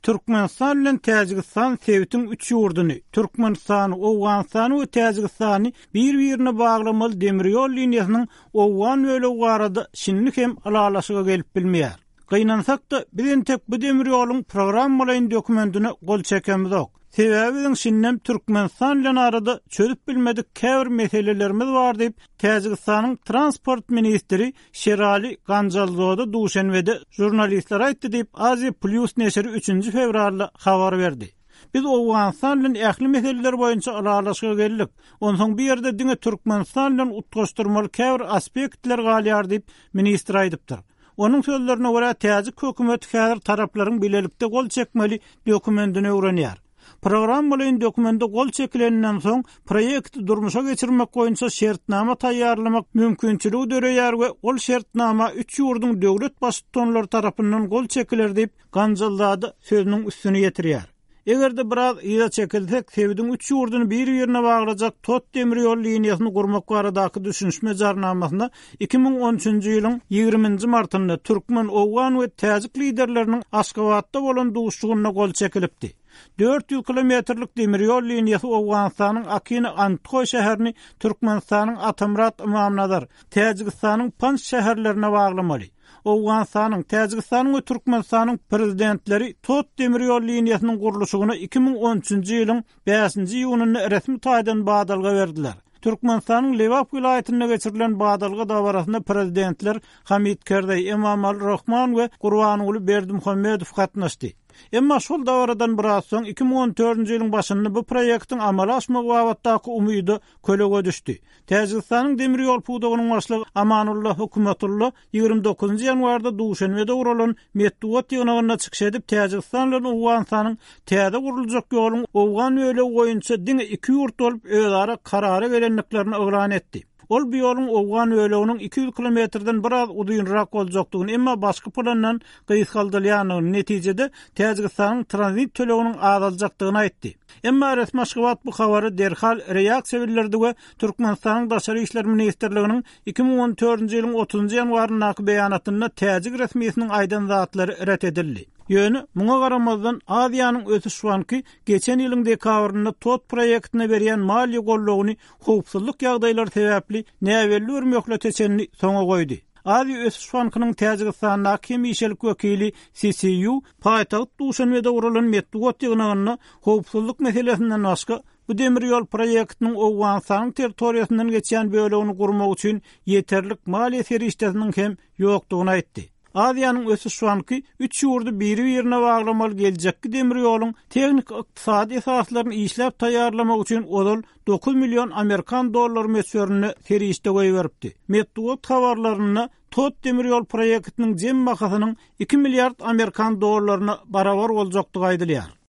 Türkmenistan bilen Täjigistan sebitiň üç ýurduny, Türkmenistany, Owganystany we Täjigistany bir-birine baglamaly demir ýol liniýasynyň owgan bölegi barada şindi hem ylalaşyga gelip bilmeýär. Gynansak-da, biz entek bu demir ýoluň programmalaýyn dokumentine gol çekemizok. Sebäbi biziň şindem Türkmenistan bilen arada çözüp bilmedik käbir meselelerimiz bar diýip, Täjigistanyň transport ministri Şerali Ganjalzoda Duşenbede žurnalistlere aýtdy diýip, Aziýa Plýus neşiri üçünji fewralda habar berdi. Biz Owganystan bilen ähli meseleler boýunça ylalaşyga geldik. Onsoň bu ýerde diňe Türkmenistan bilen utgaşdyrmaly käbir aspektler galýar diýip, ministr aýdypdyr. Onuň sözlerine görä, täjik hökümeti häzir taraplaryň bilelikde gol çekmeli dokumentini öwrenýär. Programmalaýyn dokumende gol çekileninden soň, proýekti durmuşa geçirmek boýunça şertnama taýýarlamak mümkinçiligi döreýär we ol şertnama üç ýurduň döwlet baştutanlary tarapyndan gol çekiler diýip, Ganjalzada sözüniň üstüni ýetirýär. Eger-de biraz yza çekilsek, sebitiň üç ýurduny bir-birine baglajak tot demir ýol liniýasyny gurmak baradaky düşünişme jarnamasyna 2013-nji ýylyň ýigriminji martynda türkmen, owgan we täjik liderleriniň Aşgabatda bolan duşuşygynda gol çekilipdi. 400 kilometrlik demir ýol liniýasy Owganystanyň Akina-Andhoý şäherini Türkmenistanyň Atamyrat-Ymamnazar, Täjigistanyň Panj şäherlerine baglamaly. Owganystanyň, Täjigistanyň we Türkmenistanyň Prezidentleri Tot demir ýol liniýasynyň gurluşygyna 2013-nji ýylyň bäşinji iýunynda resmi taýdan badalga berdiler. Türkmenistanyň Lebap welaýatynda geçirilen badalga dabarasyna Prezidentler Hamid Kerzeý, Emomali Rahman we Gurbanguly Berdimuhamedow gatnaşdy. Emma şol dabaradan biraz soň, 2014-nji ýylyň başynda bu proýektiň amala aşmagy babatdaky umyda kölege düşdi. Täjigistanyň demir ýol pudagynyň başlygy Amanulla Hökümetulla 29 ýanwarda Duşenbede guralan metbugat ýygnagynda çykyş edip, Täjigistan bilen Owganystanyň täze guruljak ýoluň owgan bölegi boýunça diňe iki ýurt bolup özara karara gelendiklerini yglan etdi. Ol bu ýoluň owgan böleginiň 200 kilometrden biraz uzynrak boljakdygyny, emma başky plandan gysgaldylýandygyny, netijede Täjigistanyň tranzit töleginiň azaljakdygyny aýtdy. Emma resmi Aşgabat bu habara derhal reaksiýa bildirdi we Türkmenistanyň Daşary işler ministrliginiň 2014-nji ýylyň otuzynjy ýanwaryndaky beýanatynda täjik resmisiniň aýdan zatlary ret edildi. Ýöne, muňa garamazdan, Aziýanyň ösüş banky geçen ýylyň dekabrynda TOT proýektine berýän maliýe goldawyny howpsuzlyk ýagdaýlary sebäpli näbelli bir möhlete çenli soňa goýdy. Aziýa ösüş bankynyň Täjigistandaky hemişelik wekili CCU paýtagt Duşanbede guralan metbugat ýygnagynda howpsuzlyk meselesinden başga, bu demir ýol proýektiniň Owganystanyň territoriýasyndan geçýän bölegini gurmak üçin ýeterlik maliýe serişdesiniň hem ýokdugyny aýtdy. Aziýanyň ösüş banky üç ýurdy biri-birine baglamaly geljekki demir ýoluň tehniki-ykdysady esaslaryny işläp taýýarlamak üçin ozal 9 million amerikan dollary möçberinde serişde goýberipdi. Metbugat habarlarynda Tot demir ýol proýektiniň jem bahasynyň 2 milliard amerikan dollaryna barabar boljakdygy aýdylýar.